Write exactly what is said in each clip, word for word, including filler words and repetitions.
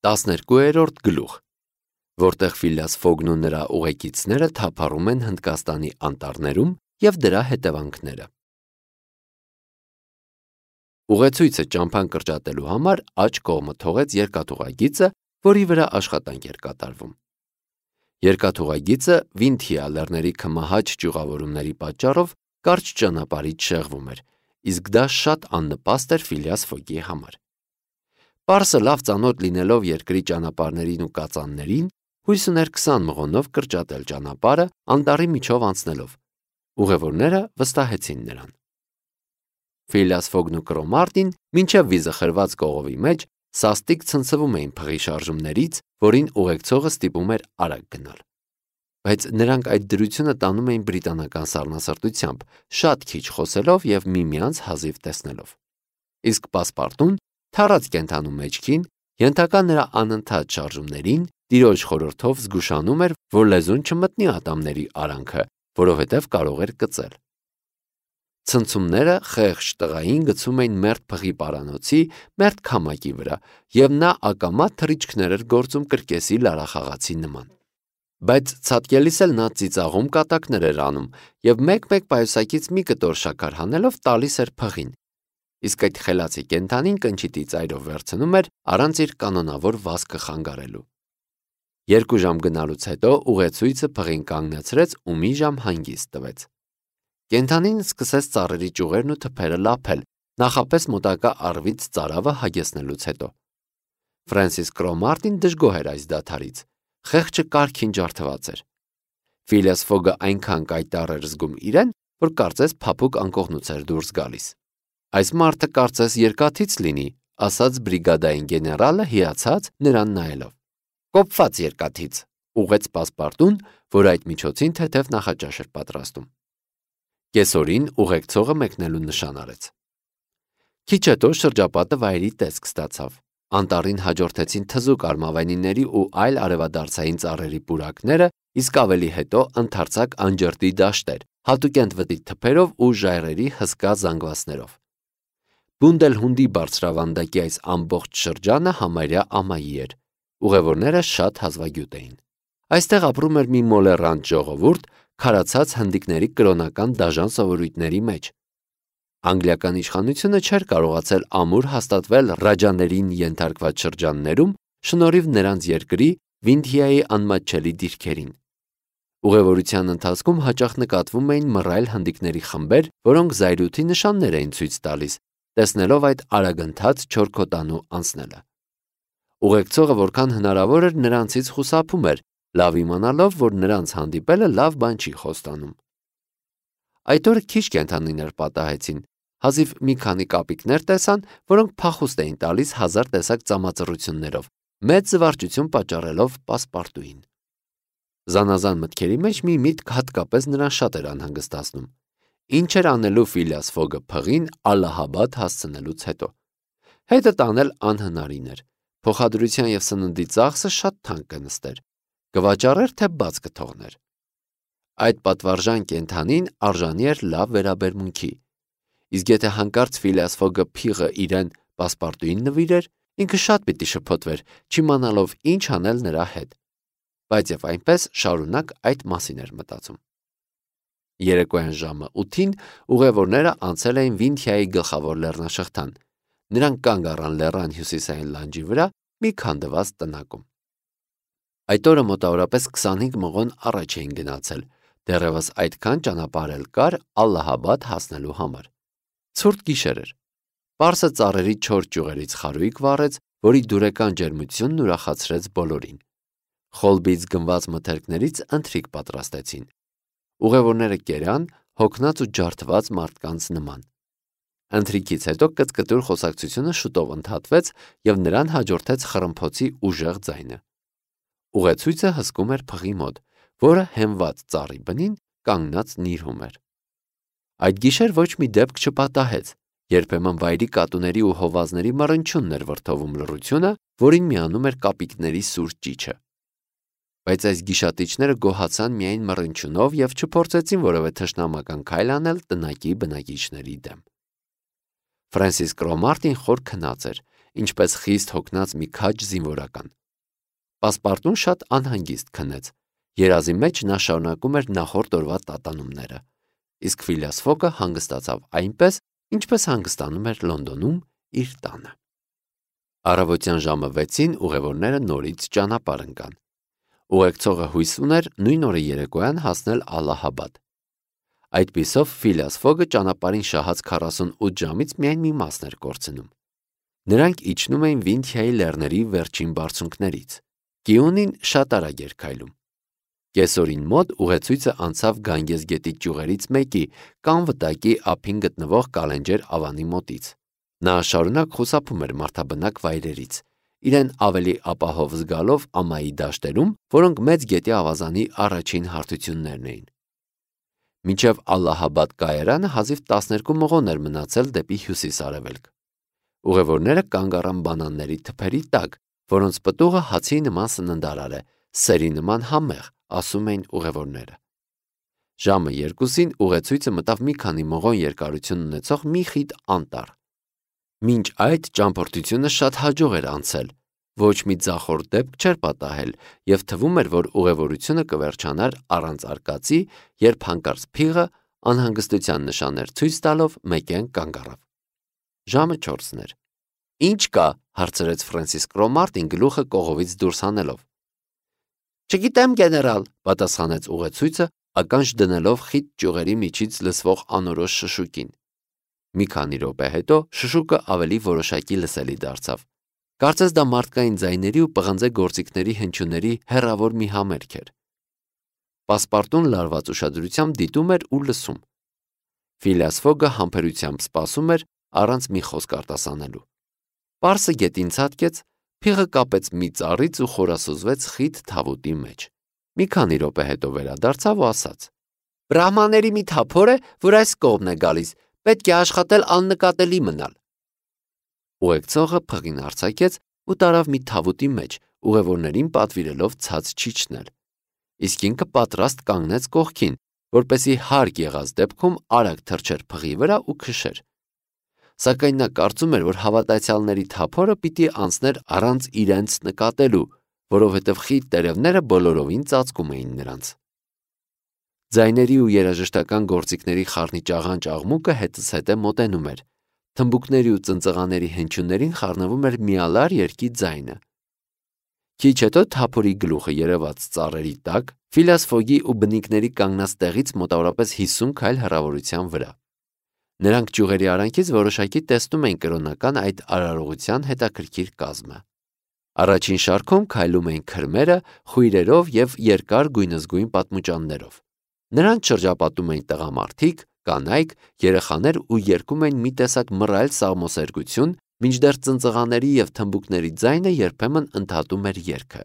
տասներկուերորդ գլուխ, որտեղ Ֆիլիաս Ֆոգն ու նրա ուղեկիցները թափառում են Հնդկաստանի անտառներում և դրա հետևանքները։ Ուղեցույցը ճամփան կրճատելու համար աջ կողմը թողեց երկաթուղագիծը, որի վրա աշխատանք էր կատարվում։ Երկաթուղագիծը Վինթիա լեռների քմահաճ ճյուղավորումների պատճառով կարճ ճանապարհից շեղվում էր, իսկ դա շատ աննպաստ էր Ֆիլիաս Ֆոգի համար։ Պարսը լավ ծանոթ լինելով երկրի ճանապարհներին ու կածաններին, հույս ուներ քսան մղոնով կրճատել ճանապարհը անտառի միջով անցնելով։ Ուղևորները վստահեցին նրան։ Ֆիլիաս Ֆոգն ու Կրոմարտին մինչև վիզը խրված կողովի մեջ սաստիկ ցնցվում էին փղի շարժումներից, որին ուղեկցողը ստիպում էր արագ գնալ։ Բայց նրանք այդ դրությունը տանում էին բրիտանական սառնասրտությամբ, շատ քիչ խոսելով և միմյանց հազիվ տեսնելով։ Իսկ պասպարտուն, թառած կենդանու մեջքին, ենթակա նրա անընդհատ շարժումներին, տիրոջ խորհրդով զգուշանում էր, որ լեզուն չմտնի ատամների արանքը, որովհետև կարող էր կծել։ Ցնցումները խեղճ տղային գցում էին մերթ փղի պարանոցի, մերթ քամակի վրա, և նա ակամա թռիչքներ էր գործում կրկեսի լարախաղացի նման։ Բայց ցատկելիս էլ նա ծիծաղում կատակներ էր անում և մեկ-մեկ պայուսակից մի կտոր շաքար հանելով տալիս էր փղին, իսկ այդ խելացի կենդանին կնճիտի ծայրով վերցնում էր առանց իր կանոնավոր վազքը խանգարելու։ Երկու ժամ գնալուց հետո ուղեցույցը փղին կանգնեցրեց ու մի ժամ հանգիստ տվեց։ Կենդանին սկսեց ծառերի ճյուղերն ու թփերը լափել, նախապես մոտակա առվից ծարավը հագեցնելուց հետո։ Ֆրենսիս Կրոմարտին դժգոհ էր այս դադարից, խեղճը կարգին ջարդված էր։ Ֆիլիաս Ֆոգը այնքան կայտառ էր զգում իրեն, որ կարծես փափուկ անկողնուց էր դուրս գալիս։ Այս մարդը կարծես երկաթից լինի, ասաց բրիգադային գեներալը հիացած նրան նայելով։ Կոփված երկաթից, ուղղեց պասպարտուն, որ այդ միջոցին թեթև նախաճաշ էր պատրաստում։ Կեսօրին ուղեկցողը մեկնելու նշան արեց։ Քիչ հետո շրջապատը վայրի տեսք ստացավ։ Անտառին հաջորդեցին թզուկ արմավենիների ու այլ արևադարձային ծառերի պուրակները, իսկ ավելի հետո ընդարձակ անջրտի դաշտեր, հատուկենտ վտի թփերով ու ժայռերի հսկա զանգվածներով։ Բունդելհունդի բարձրավանդակի այս ամբողջ շրջանը համարյա ամայի էր։ Ուղևորները շատ հազվագյուտ էին։ Այստեղ ապրում էր մի մոլեռանդ ժողովուրդ, քարացած հնդիկների կրոնական դաժան սովորույթների մեջ։ Անգլիական իշխանությունը չէր կարողացել ամուր հաստատվել ռաջաներին ենթարկված շրջաններում, շնորհիվ նրանց երկրի Վինթիայի անմատչելի դիրքերին։ Ուղևորության ընթացքում հաճախ նկատվում էին մռայլ հնդիկների խմբեր, որոնք զայրույթի նշաններ էին ցույց տալիս, տեսնելով այդ արագընթաց չորքոտանու անցնելը։ Ուղեկցողը որքան հնարավոր էր նրանցից խուսափում էր, լավ իմանալով, որ նրանց հանդիպելը լավ բան չի խոստանում։ Այդ օրը քիչ կենդանիներ պատահեցին, հազիվ մի քանի կապիկներ տեսան, որոնք փախուստ էին տալիս հազար տեսակ ծամածռություններով, մեծ զվարճություն պատճառելով պասպարտուին։ Զանազան մտքերի մեջ մի միտք հատկապես նրան շատ էր անհանգստացնում։ Ինչ էր անելու Ֆիլիաս Ֆոգը փղին Ալլահաբադ հասցնելուց հետո։ Հետը տանել անհնարին էր։ Փոխադրության և սննդի ծախսը շատ թանկ կնստեր։ Կվաճառեր, թե բաց կթողներ։ Այդ պատվարժան կենդանին արժանի էր լավ վերաբերմունքի։ Իսկ եթե հանկարծ Ֆիլիաս Ֆոգը փիղը իրեն պասպարտուին նվիրեր, ինքը շատ պիտի շփոթվեր, չիմանալով ինչ անել նրա հետ։ Բայց եւ այնպես շարունակ այդ մասին էր մտածում։ Երեկոյան ժամը ութին ուղևորները անցել էին Վինթիայի գլխավոր լեռնաշղթան։ Նրանք կանգ առան լեռան հյուսիսային լանջի վրա մի քանդված տնակում։ Այդ օրը մոտավորապես քսանհինգ մղոն առաջ էին գնացել, դեռևս այդքան ճանապարհ էլ կար Ալլահաբադ հասնելու համար։ Ցուրտ գիշեր էր։ Պարսը ծառերի չոր ճյուղերից խարույկ վառեց, որի դուրեկան ջերմությունն ուրախացրեց բոլորին։ Խոլբից գնված մթերքներից ընթրիք պատրաստեցին։ Ուղևորները կերան, հոգնած ու ջարդված մարդկանց նման։ Ընթրիքից հետո կծկտուր խոսակցությունը շուտով ընդհատվեց և նրան հաջորդեց խռմփոցի ուժեղ ձայնը։ Ուղեցույցը հսկում էր փղի մոտ, որը հենված ծառի բնին կանգնած նիրհում էր։ Այդ գիշեր ոչ մի դեպք չպատահեց, երբեմն վայրի կատուների ու հովազների մռնչյունն էր վրդովում լռությունը, որին միանում էր կապիկների սուր ճիչը։ Բայց այս գիշատիչները գոհացան միայն մռնչյունով և չփորձեցին որևէ թշնամական քայլ անել տնակի բնակիչների դեմ։ Ֆրենսիս Կրոմարտին խոր քնած էր, ինչպես խիստ հոգնած մի քաջ զինվորական։ Պասպարտուն շատ անհանգիստ քնեց, երազի մեջ նա շարունակում էր նախորդ օրվա տատանումները, իսկ Ֆիլիաս Ֆոգը հանգստացավ այնպես, ինչպես հանգստանում էր Լոնդոնում իր տանը։ Առավոտյան ժամը վեցին ուղևորները նորից ճանապարհ ընկան։ Ուղեկցողը հույս ուներ նույն օրը երեկոյան հասնել Ալլահաբադ։ Այդպիսով Ֆիլիաս Ֆոգը ճանապարհին շահած քառասունութ ժամից միայն մի մասն էր կորցնում։ Նրանք իջնում էին Վինթիայի լեռների վերջին բարձունքներից։ Կիունին շատ արագ էր քայլում։ Կեսօրին մոտ ուղեցույցը անցավ Գանգես գետի ճյուղերից մեկի կամ վտակի ափին գտնվող Կալենջեր ավանի մոտից։ Նա շարունակ խուսափում էր մարդաբնակ վայրերից, իրեն ավելի ապահով զգալով ամայի դաշտերում, որոնք մեծ գետի ավազանի առաջին հարթություններն էին։ Մինչև Ալլահաբադ կայարանը հազիվ տասներկու մղոն էր մնացել դեպի հյուսիս-արևելք։ Ուղևորները կանգ առան բանանների թփերի տակ, որոնց պտուղը հացի նման սննդարար է, սերի նման համեղ, ասում էին ուղևորները։ Ժամը երկուսին ուղեցույցը մտավ մի քանի մղոն երկարություն ունեցող մի խիտ անտառ։ Մինչ այդ ճամփորդությունը շատ հաջող էր անցել, ոչ մի ձախորդ դեպք չէր պատահել, եւ թվում էր, որ ուղևորությունը կվերջանար առանց արկածի, երբ հանկարծ փիղը անհանգստության նշաններ ցույց տալով մեկեն կանգ առավ։ Ժամը չորսն էր։ Ինչ կա, հարցրեց Ֆրենսիս Կրոմարտին գլուխը կողովից դուրս հանելով։ Չգիտեմ, գեներալ, պատասխանեց ուղեցույցը, ականջ դնելով խիտ ճյուղերի միջից լսվող անորոշ շշուկին։ Մի քանի րոպե հետո շշուկը ավելի որոշակի լսելի դարձավ։ Կարծես դա մարդկային ձայների ու պղնձե գործիքների հնչյունների հեռավոր մի համերգ էր։ Պասպարտուն լարված ուշադրությամբ դիտում էր ու լսում։ Ֆիլիաս Ֆոգը համբերությամբ սպասում էր առանց մի խոսք արտասանելու։ Պարսը գետին ցատկեց, փիղը կապեց մի ծառից ու խորասուզվեց խիտ թավուտի մեջ։ Մի քանի րոպե հետո վերադարձավ ու ասաց. Բրահմաների մի թափոր է, որ այս կողմն է գալիս, պետք է աշխատել աննկատելի մնալ։ Ուղեկցողը փղին արձակեց ու տարավ մի թավուտի մեջ, ուղևորներին պատվիրելով ցած չիջնել։ Իսկ ինքը պատրաստ կանգնեց կողքին, որպեսզի հարկ եղած դեպքում արագ թռչեր փղի վրա ու քշեր։ Սակայն նա կարծում էր, որ հավատացյալների թափորը պիտի անցներ առանց իրենց նկատելու, որովհետև խիտ տերևները բոլորովին ծածկում էին նրանց։ Ձայների ու երաժշտական գործիքների խառնիճաղանճ աղմուկը հետզհետե մոտենում էր։ Թմբուկների ու ծնծղաների հնչյուններին խառնվում էր միալար երգի ձայնը։ Քիչ հետո թափորի գլուխը երևաց ծառերի տակ, Ֆիլիաս Ֆոգի ու բնիկների կանգնած տեղից մոտավորապես հիսուն քայլ հեռավորության վրա։ Նրանք ճյուղերի արանքից որոշակի տեսնում էին կրոնական այդ արարողության հետաքրքիր կազմը։ Առաջին շարքում քայլում էին քրմերը, խույրերով եւ երկար գույնզգույն պատմուճաններով։ Նրանց շրջապատում էին տղամարդիկ, կանայք, երեխաներ ու երգում էին մի տեսակ մռայլ սաղմոսերգություն, մինչդեռ ծնծղաների եւ թմբուկների ձայնը երբեմն ընդհատում էր երգը։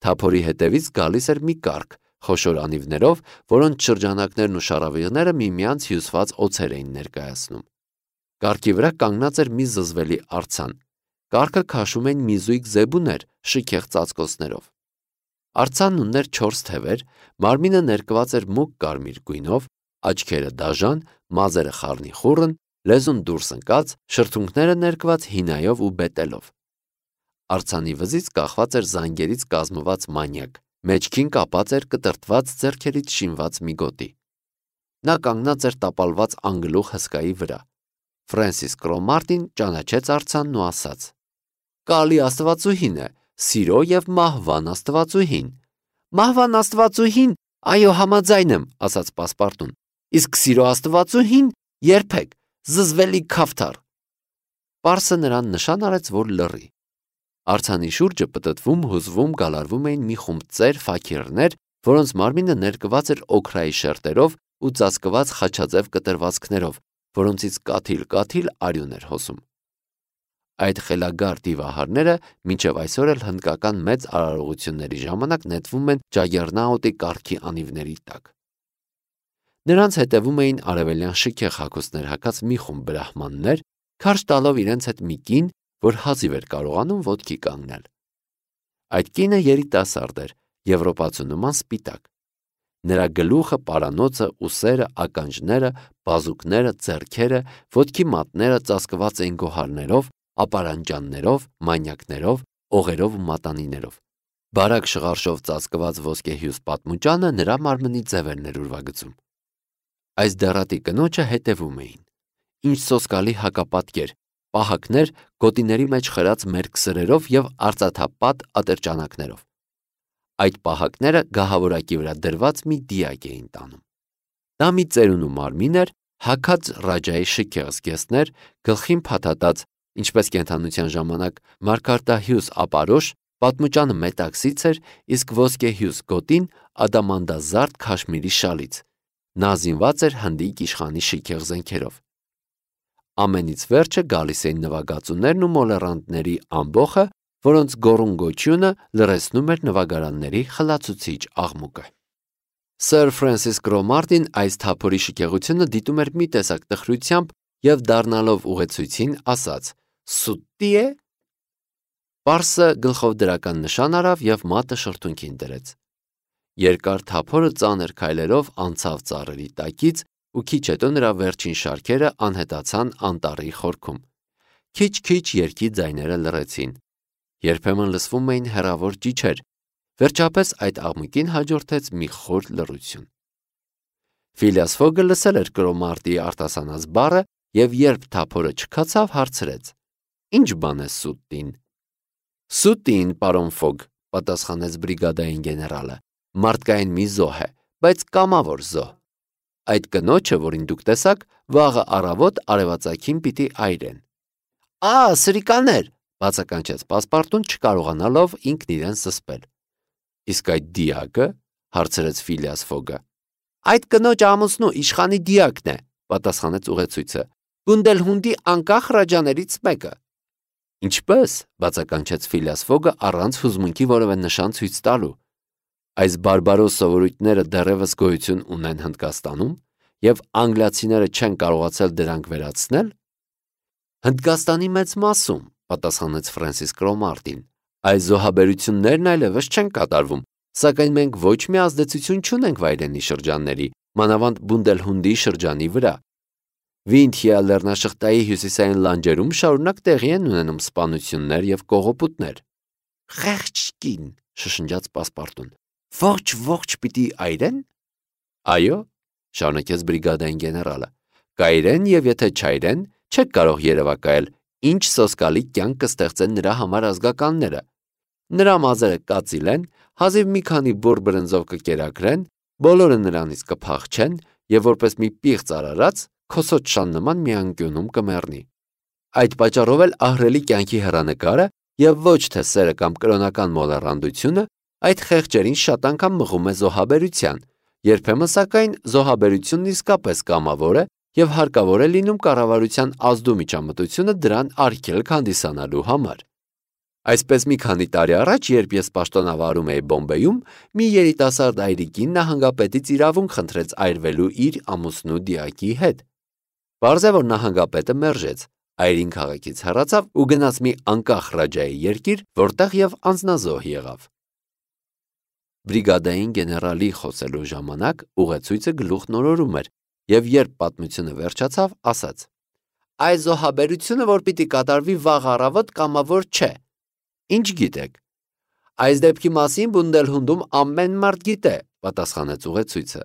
Թափորի հետևից գալիս էր մի կառք, խոշոր անիվներով, որոնց շրջանակներն ու շառավիղները միմյանց հյուսված օձեր էին ներկայացնում։ Կառքի վրա կանգնած էր մի զզվելի արձան։ Կառքը քաշում էին մի զույգ զեբուներ, շքեղ ծածկոցներով։ Արձանն ուներ չորս թևեր, մարմինը ներկված էր մուգ կարմիր գույնով, աչքերը դաժան, մազերը խառնիխուռն, լեզուն դուրս ընկած, շրթունքները ներկված հինայով ու բետելով։ Արձանի վզից կախված էր զանգերից կազմված մանյակ, մեջքին կապած էր կտրտված ձեռքերից շինված մի գոտի։ Նա կանգնած էր տապալված անգլուխ հսկայի վրա։ Ֆրենսիս Կրոմարտին ճանաչեց արձանն ու ասաց. Կալի աստվածուհին է, սիրո եւ մահվան աստվածուհին։ Մահվան աստվածուհին, այո, համաձայն եմ, ասաց Պասպարտուն։ Իսկ սիրո աստվածուհին երբեք, զզվելի քավթար։ Պարսը նրան նշան արեց, որ լռի։ Արձանի շուրջը պտտվում, հուզվում, գալարվում էին մի խումբ ծեր ֆաքիրներ, որոնց մարմինը ներկված էր օքրայի շերտերով ու ծածկված խաչաձև կտրվածքներով, որոնցից կաթիլ-կաթիլ արյուն էր հոսում։ Այդ խելագար դիվահարները մինչև այսօր էլ հնդկական մեծ արարողությունների ժամանակ նետվում են Ջագերնաուտի կառքի անիվների տակ։ Նրանց հետևում էին արևելյան շքեղ հագուստներ հագած մի խումբ բրահմաններ, քարշ տալով իրենց հետ մի կին, որ հազիվ էր կարողանում ոտքի կանգնել։ Այդ կինը երիտասարդ էր, եվրոպացու նման սպիտակ։ Նրա գլուխը, պարանոցը, ուսերը, ականջները, բազուկները, ձեռքերը, ոտքի մատները ծածկված էին գոհարներով, ապարանջաններով, մանյակներով, օղերով ու մատանիներով։ Բարակ շղարշով ծածկված ոսկեհյուս պատմուճանը նրա մարմնի ձև էր ներուրվագծում։ Այս դեռատի կնոջը հետևում էին։ Ինչ սոսկալի հակապատկեր, պահակներ գոտիների մեջ խրած մերկ սրերով և արծաթապատ ատրճանակներով։ Այդ պահակները գահավորակի վրա դրված մի դիակ էին տանում։ Դա մի ծերունու մարմին էր, հագած Ռաջայի շքեղ զգեստներ, գլխին փաթաթած, ինչպես կենդանության ժամանակ մարգարտահյուս ապարոշ, պատմուճանը մետաքսից էր, իսկ ոսկեհյուս գոտին ադամանդազարդ քաշմիրի շալից։ Նա զինված էր հնդիկ իշխանի շքեղ զենքերով։ Ամենից վերջը գալիս էին նվագածուներն ու մոլեռանդների ամբոխը, որոնց գոռուն գոչյունը լռեցնում էր նվագարանների խլացուցիչ աղմուկը։ Սըր Ֆրենսիս Կրոմարտին այս թափորի շքեղությունը դիտում էր մի տեսակ տխրությամբ և դառնալով ուղեցույցին ասաց. «Սուտի է»։ Պարսը գլխով դրական նշան արավ և մատը շրթունքին դրեց։ Երկար թափորը ծանր քայլերով անցավ ծառերի տակից ու քիչ հետո նրա վերջին շարքերը անհետացան անտառի խորքում։ Քիչ-քիչ երգի ձայները լռեցին։ Երբեմն լսվում էին հեռավոր ճիչեր։ Վերջապես այդ աղմուկին հաջորդեց մի խոր լռություն։ Ֆիլիաս Ֆոգը լսել էր Կրոմարտիի արտասանած բառը և երբ թափորը չքացավ, հարցրեց. «Ինչ բան է սուտտին»։ «Սուտտին, պարոն Ֆոգ», պատասխանեց բրիգադային գեներալը, «մարդկային մի զոհ է, բայց կամավոր զոհ։ Այդ կնոջը, որին դուք տեսաք, վաղը առավոտ արևածագին պիտի այրեն»։ «Ա, սրիկաներ», բացականչեց Պասպարտուն, չկարողանալով ինքն իրեն զսպել։ «Իսկ այդ դիակը», հարցրեց Ֆիլիաս Ֆոգը։ «Այդ կնոջ ամուսնու իշխանի դիակն է», պատասխանեց ուղեցույցը, «Բունդելհունդի անկախ ռաջաներից մեկը»։ «Ինչպե՞ս», բացականչեց Ֆիլիաս Ֆոգը առանց հուզմունքի որևէ նշան ցույց տալու։ «Այս բարբարոս սովորույթները դեռևս գոյություն ունեն Հնդկաստանում, և անգլիացիները չեն կարողացել դրանք վերացնել»։ «Հնդկաստանի մեծ մասում», պատասխանեց Ֆրենսիս Կրոմարտին, «այս զոհաբերություններն այլևս չեն կատարվում, սակայն մենք ոչ մի ազդեցություն չունենք վայրենի շրջանների, մանավանդ Բունդելհունդի շրջանի վրա։ Վինթիա լեռնաշղթայի հյուսիսային լանջերում շարունակ տեղի են ունենում սպանություններ և կողոպուտներ»։ «Խեղճ կին», շշնջաց Պասպարտուն, «ողջ-ողջ պիտի այրեն»։ «Այո», շարունակեց բրիգադային գեներալը, «կայրեն և եթե չայրեն, չեք կարող երևակայել, ինչ սոսկալի կյանք կստեղծեն նրա համար ազգականները։ Նրա մազերը կածիլեն, հազիվ մի քանի բուռ բրնձով կկերակրեն, բոլորը նրանից կփախչեն և որպես մի պիղծ արարած քոսոտ շան նման մի անկյունում կմեռնի։ Այդ պատճառով էլ ահռելի կյանքի հեռանկարը և ոչ թե սերը կամ կրոնական մոլեռանդությունը այդ խեղճերին շատ անգամ մղում է զոհաբերության, երբեմն սակայն զոհաբերությունն իսկապես կամավոր է և հարկավոր է լինում կառավարության ազդու միջամտությունը դրան արգելք հանդիսանալու համար։ Այսպես մի քանի տարի առաջ, երբ ես պաշտոնավարում էի Բոմբեյում, մի երիտասարդ այրիկին նահանգապետից իրավունք խնդրեց այրվելու իր ամուսնու դիակի հետ։ Պարզ է, որ նահանգապետը մերժեց, այրին քաղաքից հեռացավ ու գնաց մի անկախ ռաջայի երկիր, որտեղ և անձնազոհ եղավ։ Բրիգադային գեներալի խոսելու ժամանակ ուղեցույցը գլուխն օրորում էր և երբ պատմությունը վերջացավ, ասաց. «Այս զոհաբերությունը, որ պիտի կատարվի վաղ առավոտ, կամավոր չէ։ Ինչ գիտեք»։ «Այս դեպքի մասին Բունդելհունդում ամեն մարդ գիտե», պատասխանեց ուղեցույցը։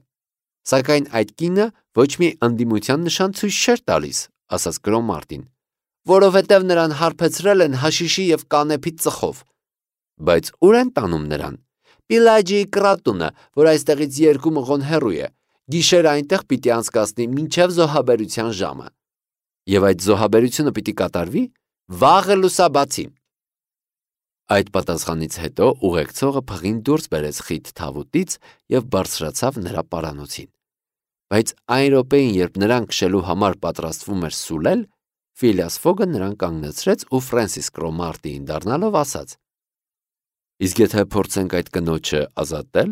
«Սակայն այդ կինը ոչ մի ընդդիմության նշան ցույց չէր տալիս», ասաց Կրոմարտին, «որովհետև նրան հարբեցրել են հաշիշի և կանեփի ծխով»։ «Բայց ուր են տանում նրան»։ «Պիլաջիի կռատունը, որ այստեղից երկու մղոն հեռու է, գիշերը այնտեղ պիտի անցկացնի մինչև զոհաբերության ժամը»։ «Եվ այդ զոհաբերությունը պիտի կատարվի»։ «Վաղը լուսաբացին»։ Այդ պատասխանից հետո ուղեկցողը փղին դուրս բերեց խիտ թավուտից և բարձրացավ նրա պարանոցին։ Բայց այն րոպեին, երբ նրան քշելու համար պատրաստվում էր սուլել, Ֆիլիաս Ֆոգը նրան կանգնեցրեց ու Ֆրենսիս Կրոմարտիին դառնալով ասաց. «Իսկ եթե փորձենք այդ կնոջը ազատել»։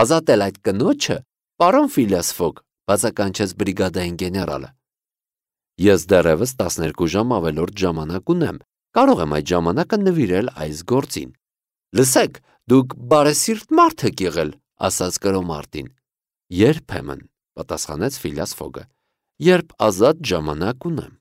«Ազատել այդ կնոջը, պարոն Ֆիլիաս Ֆոգ», բացականչեց բրիգադային գեներալը։ «Ես դեռևս տասներկու ժամ ավելորդ ժամանակ ունեմ, կարող եմ այդ ժամանակը նվիրել այս գործին»։ «Լսեք, դուք բարեսիրտ մարդ եք եղել», ասաց Կրոմարտին։ «Երբեմն», պատասխանեց Ֆիլիաս Ֆոգը, «երբ ազատ ժամանակ ունեմ»։